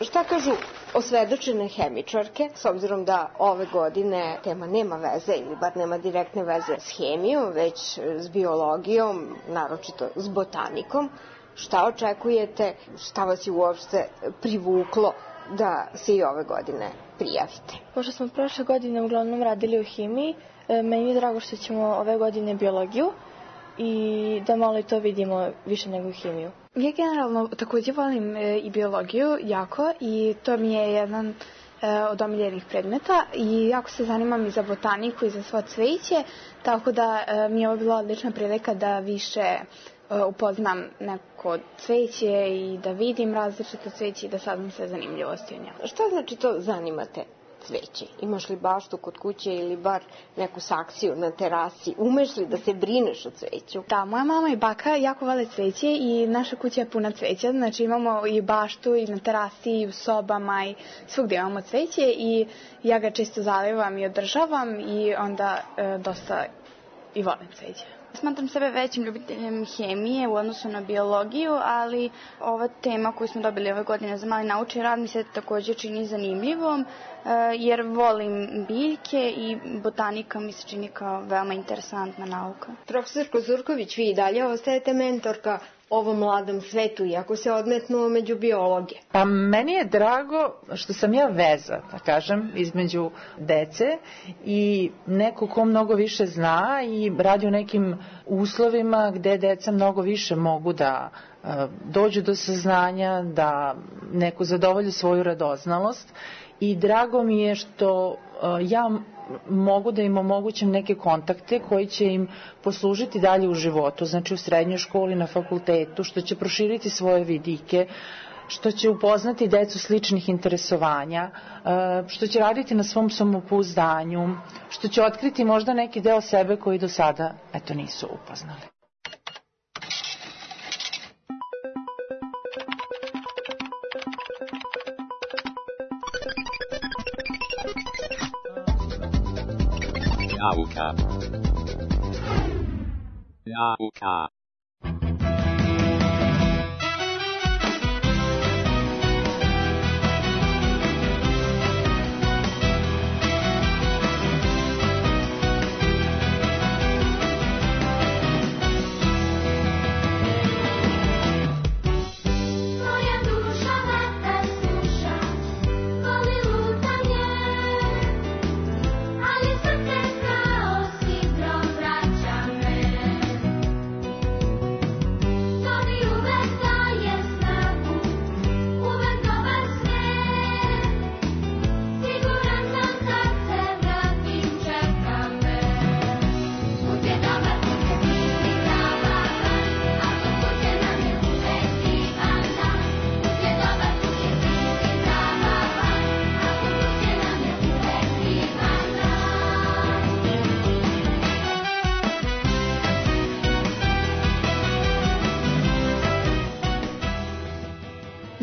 Šta kažu osvedočene hemičarke, s obzirom da ove godine tema nema veze ili bar nema direktne veze s hemijom, već s biologijom, naročito s botanikom. Šta očekujete, šta vas je uopšte privuklo da se i ove godine prijavite? Pošto smo prošle godine uglavnom radili u hemiji, meni je drago što ćemo ove godine biologiju i da malo i to vidimo više nego hemiju. Ja generalno također volim i biologiju jako i to mi je jedan od omiljenih predmeta i jako se zanimam i za botaniku i za svo cveće, tako da mi je ovo bila odlična prilika da više upoznam neko cveće i da vidim različite cveće i da saznam sve zanimljivosti o njemu. Šta znači to zanimate cveće? Imaš li baštu kod kuće ili bar neku saksiju na terasi? Umeš li da se brineš o cveću? Da, moja mama i baka jako vole cveće i naša kuća je puna cveća. Znači imamo i baštu i na terasi i u sobama i svugdje imamo cveće i ja ga često zalivam i održavam i onda e, dosta i volim cveće. Smatram sebe većim ljubiteljem hemije u odnosu na biologiju, ali ova tema koju smo dobili ove godine za mali naučni rad mi se također čini zanimljivom, jer volim biljke i botanika mi se čini kao veoma interesantna nauka. Profesorko Zurković, vi i dalje ostajete mentorka ovom mladom svetu, iako se odmetnuo među biologe. Pa meni je drago što sam ja veza, da kažem, između dece i neko ko mnogo više zna i radi u nekim uslovima gde deca mnogo više mogu da uh, dođu do saznanja, da neko zadovolji svoju radoznalost i drago mi je što uh, ja mogu da im omogućim neke kontakte koji će im poslužiti dalje u životu, znači u srednjoj školi, na fakultetu, što će proširiti svoje vidike, što će upoznati decu sličnih interesovanja, što će raditi na svom samopouzdanju, što će otkriti možda neki deo sebe koji do sada eto nisu upoznali. Nauka. Nauka.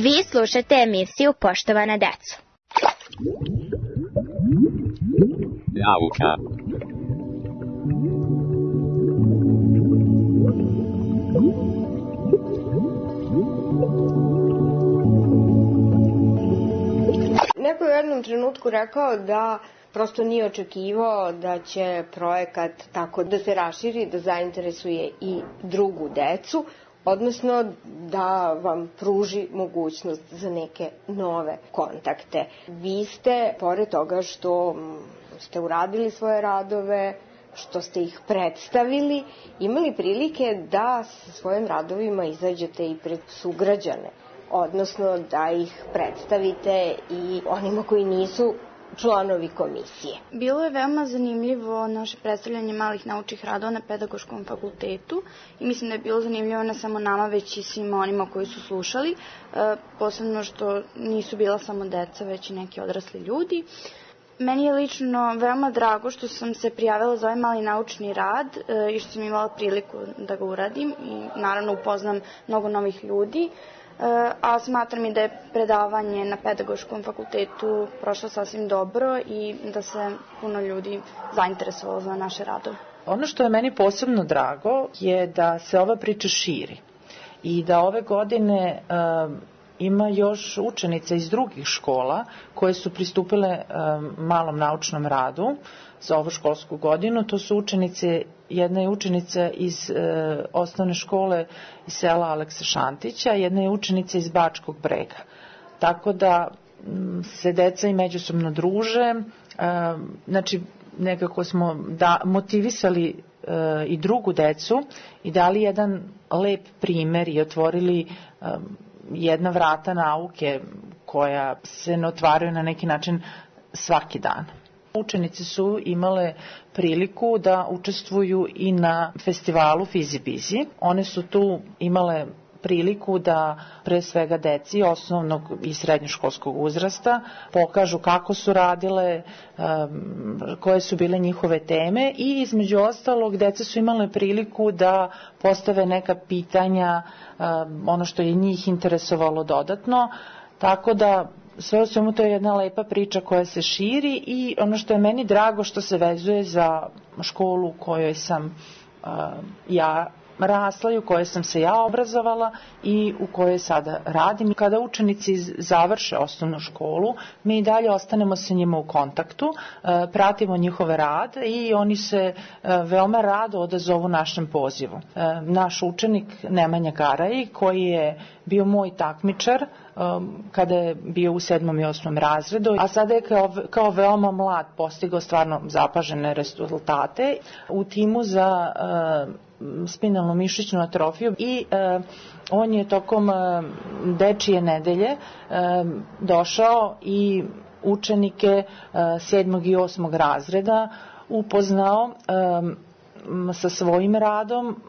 Vi slušate emisiju Poštovana deco. Nauka. Neko je u jednom trenutku rekao da prosto nije očekivao da će projekat tako da se raširi, da zainteresuje i drugu decu, odnosno da vam pruži mogućnost za neke nove kontakte. Vi ste, pored toga što ste uradili svoje radove, što ste ih predstavili, imali prilike da sa svojim radovima izađete i pred sugrađane, odnosno da ih predstavite i onima koji nisu članovi komisije. Bilo je veoma zanimljivo naše predstavljanje malih naučnih radova na pedagoškom fakultetu i mislim da je bilo zanimljivo ne samo nama, već i svima onima koji su slušali, e, posebno što nisu bila samo deca, već i neki odrasli ljudi. Meni je lično veoma drago što sam se prijavila za ovaj mali naučni rad e, i što sam imala priliku da ga uradim i naravno upoznam mnogo novih ljudi. A smatram i da je predavanje na pedagoškom fakultetu prošlo sasvim dobro i da se puno ljudi zainteresovalo za naše radove. Ono što je meni posebno drago je da se ova priča širi i da ove godine uh, ima još učenica iz drugih škola koje su pristupile e, malom naučnom radu za ovu školsku godinu. To su učenice, jedna je učenica iz e, osnovne škole iz sela Aleksa Šantića, jedna je učenica iz Bačkog Brega. Tako da m, se deca i međusobno druže, e, znači nekako smo da, motivisali e, i drugu decu i dali jedan lep primer i otvorili e, jedna vrata nauke koja se ne otvaraju na neki način svaki dan. Učenici su imale priliku da učestvuju i na festivalu Fizibizi. One su tu imale priliku da pre svega deci osnovnog i srednjoškolskog uzrasta pokažu kako su radile, koje su bile njihove teme i između ostalog deca su imale priliku da postave neka pitanja, ono što je njih interesovalo dodatno, tako da sve u svemu to je jedna lepa priča koja se širi i ono što je meni drago što se vezuje za školu u kojoj sam uh, ja rasla i u kojoj sam se ja obrazovala i u kojoj sada radim. Kada učenici završe osnovnu školu, mi i dalje ostanemo sa njima u kontaktu, uh, pratimo njihove rad i oni se uh, veoma rado odazovu našem pozivu. Uh, naš učenik Nemanja Garaj, koji je bio moj takmičar kada je bio u sedmom i osmom razredu, a sada je kao, kao veoma mlad postigao stvarno zapažene rezultate u timu za uh, spinalnu mišićnu atrofiju i uh, on je tokom uh, dečije nedelje uh, došao i učenike uh, sedmog i osmog razreda upoznao um, sa svojim radom,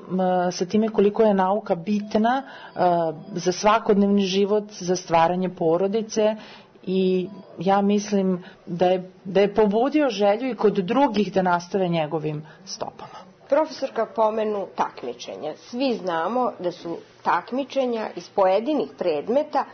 sa time koliko je nauka bitna za svakodnevni život, za stvaranje porodice i ja mislim da je, da je pobudio želju i kod drugih da nastave njegovim stopama. Profesorka pomenu takmičenja. Svi znamo da su takmičenja iz pojedinih predmeta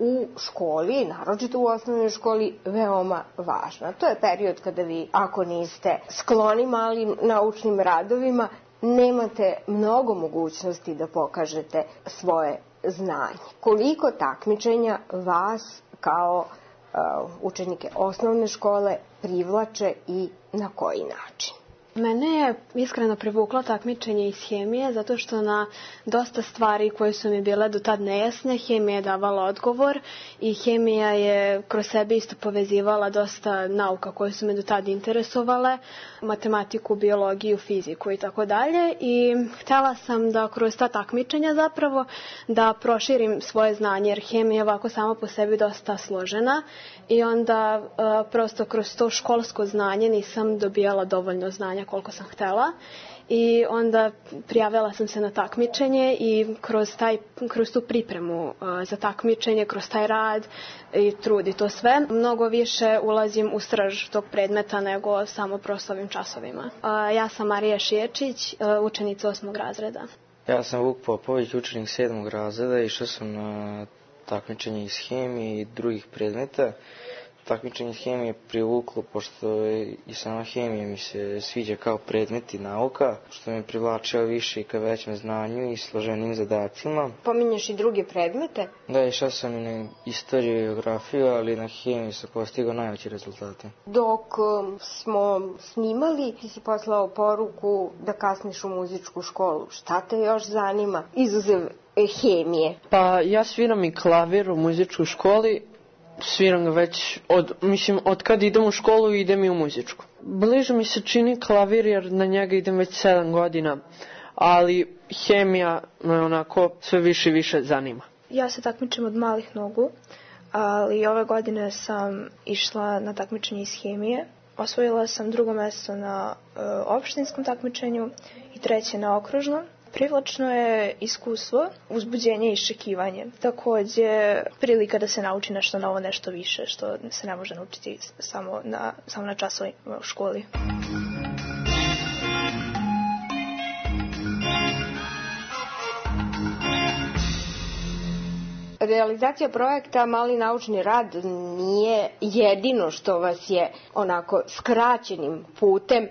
u školi, naročito u osnovnoj školi, veoma važna. To je period kada vi, ako niste skloni malim naučnim radovima, nemate mnogo mogućnosti da pokažete svoje znanje. Koliko takmičenja vas kao uh, učenike osnovne škole privlače i na koji način? Mene je iskreno privuklo takmičenje iz hemije, zato što na dosta stvari koje su mi bile do tad nejasne, hemija je davala odgovor i hemija je kroz sebe isto povezivala dosta nauka koje su me do tad interesovale, matematiku, biologiju, fiziku i tako dalje. I htjela sam da kroz ta takmičenja zapravo da proširim svoje znanje, jer hemija je ovako sama po sebi dosta složena i onda uh, prosto kroz to školsko znanje nisam dobijala dovoljno znanja koliko sam htjela i onda prijavila sam se na takmičenje i kroz, taj, kroz tu pripremu uh, za takmičenje, kroz taj rad i trud i to sve, mnogo više ulazim u srž tog predmeta nego samo prosto ovim časovima. Uh, ja sam Marija Šiječić, uh, učenica osmog razreda. Ja sam Vuk Popović, učenik sedmog razreda, išao sam na takmičenje iz hemije i drugih predmeta. Takmičenje iz hemije privuklo, pošto i sama hemija mi se sviđa kao predmet i nauka, što me privlačio više i ka većem znanju i složenim zadacima. Pominješ i druge predmete? Da, išao sam i na istoriju i geografiju, ali na hemiju sam postigao najveće rezultate. Dok smo snimali, ti si poslao poruku da kasniš u muzičku školu. Šta te još zanima, izuzev hemije? Pa ja sviram i klavir u muzičkoj školi. Sviram ga već od, mislim, od kad idem u školu idem i u muzičku. Bliže mi se čini klavir jer na njega idem već sedam godina, ali hemija me onako sve više i više zanima. Ja se takmičim od malih nogu, ali ove godine sam išla na takmičenje iz hemije. Osvojila sam drugo mjesto na e, opštinskom takmičenju i treće na okružnom. Privlačno je iskustvo, uzbuđenje i iščekivanje. Također prilika da se nauči nešto novo, nešto više, što se ne može naučiti samo na, samo na časovima u školi. Realizacija projekta Mali naučni rad nije jedino što vas je onako skraćenim putem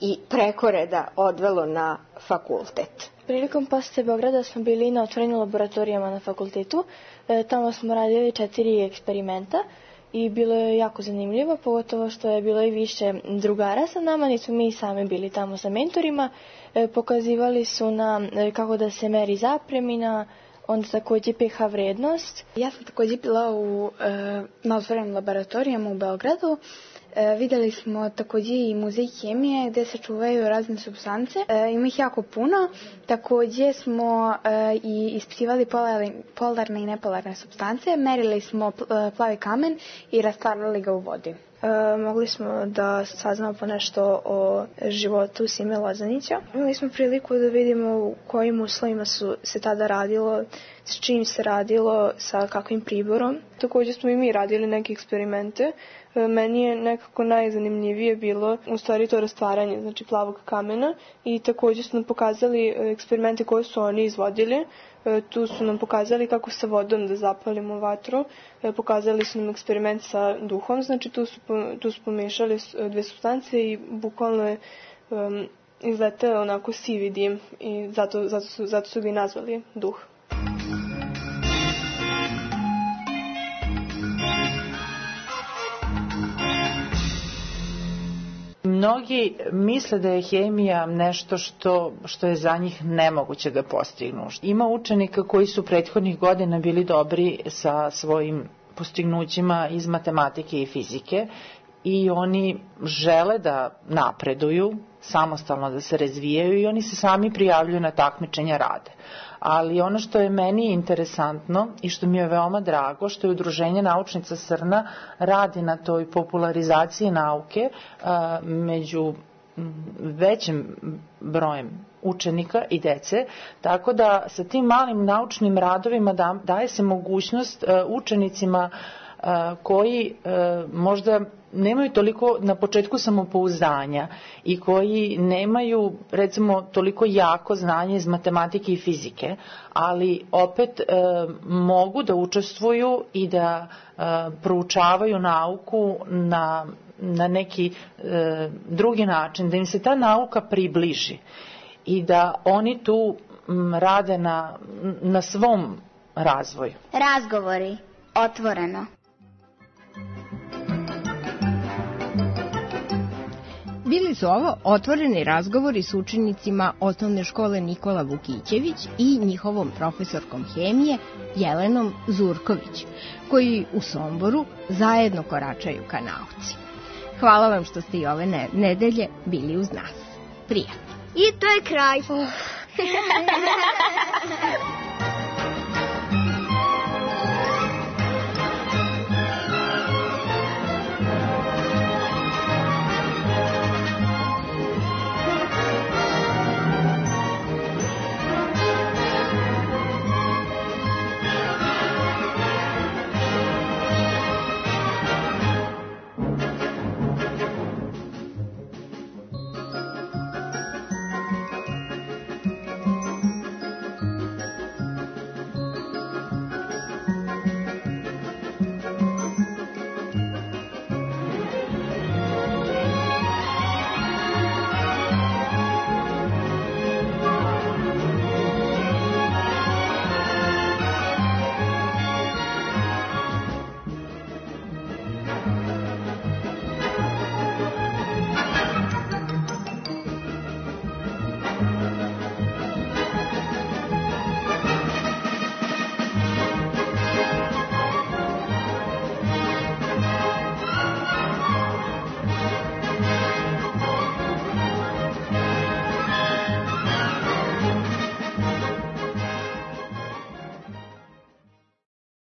i prekoreda odvelo na fakultet? Prilikom posete Beograda smo bili na otvorenim laboratorijama na fakultetu. E, tamo smo radili četiri eksperimenta i bilo je jako zanimljivo, pogotovo što je bilo i više drugara sa nama, nismo mi sami bili tamo sa mentorima. E, pokazivali su nam e, kako da se meri zapremina, onda takođe pH vrednost. Ja sam takođe bila u, e, na otvorenim laboratorijama u Beogradu. E, videli smo takođe i muzej hemije gde se čuvaju razne supstance. E, ima ih jako puno. Takođe smo e, i ispitivali polarne, polarne i nepolarne supstance. Merili smo plavi kamen i rastvarali ga u vodi. E, mogli smo da saznamo po nešto o životu Sime Lozanića. Imali smo priliku da vidimo u kojim uslovima su se tada radilo, s čim se radilo, sa kakvim priborom. Takođe smo i mi radili neke eksperimente. Meni je nekako najzanimljivije bilo u stvari to rastvaranje, znači plavog kamena, i takođe su nam pokazali eksperimente koje su oni izvodili. Tu su nam pokazali kako sa vodom da zapalimo vatru, pokazali su nam eksperiment sa duhom, znači tu su, tu su pomešali dve supstance i bukvalno je um, izletao onako sivi dim i zato, zato, su, zato su ga i nazvali duh. Mnogi misle da je hemija nešto što, što je za njih nemoguće da postignu. Ima učenika koji su prethodnih godina bili dobri sa svojim postignućima iz matematike i fizike i oni žele da napreduju, samostalno da se razvijaju i oni se sami prijavljuju na takmičenja rade. Ali ono što je meni interesantno i što mi je veoma drago, što je Udruženje naučnica Srna radi na toj popularizaciji nauke a, među većim brojem učenika i dece, tako da sa tim malim naučnim radovima da, daje se mogućnost a, učenicima a, koji a, možda nemaju toliko na početku samopouzdanja i koji nemaju recimo toliko jako znanje iz matematike i fizike, ali opet e, mogu da učestvuju i da e, proučavaju nauku na, na neki e, drugi način, da im se ta nauka približi i da oni tu m, rade na, na svom razvoju. Razgovori, otvoreno. Bili su ovo otvoreni razgovori s učenicima osnovne škole Nikola Vukićević i njihovom profesorkom hemije Jelenom Zurković, koji u Somboru zajedno koračaju ka nauci. Hvala vam što ste i ove nedelje bili uz nas. Prijatno. I to je kraj.